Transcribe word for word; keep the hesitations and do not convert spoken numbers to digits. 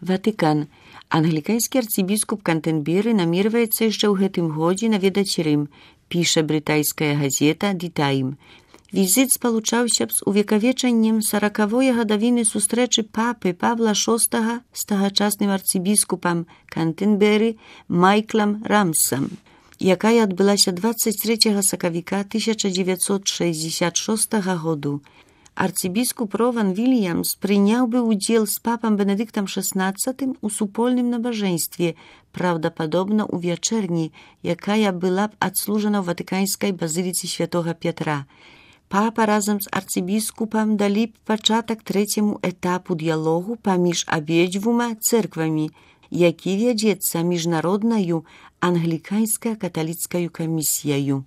Ватыкан. Англіканскі арцыбіскуп Кантэрберы намерваецца яшчэ ў гэтым годзе наведаць Рым, піша брытайская газета «The Time». Візіт спалучаўся б з увекавечаннем саракавой гадавіны сустрэчы папы Павла шостага з тагачасным арцыбіскупам Кантэрберы Майклам Рамсам, якая адбылася дваццаць трэцяга сакавіка тысяча дзевяцьсот шэсцьдзесят шостага году. Арцыбіскуп Рован Вільямс прыняў бы ўдзел з папам Бенедыктам шаснаццатым у супольным набажэнстве, праўдападобна ў вячэрні, якая была б адслужана ў ватыканскай базыліцы святога Пятра. Папа разам з арцыбіскупам далі б пачатак трэцяму этапу дыялогу паміж абедзвюма цэрквамі, які вядзецца міжнароднаю англіканска-каталіцкаю камісіяю.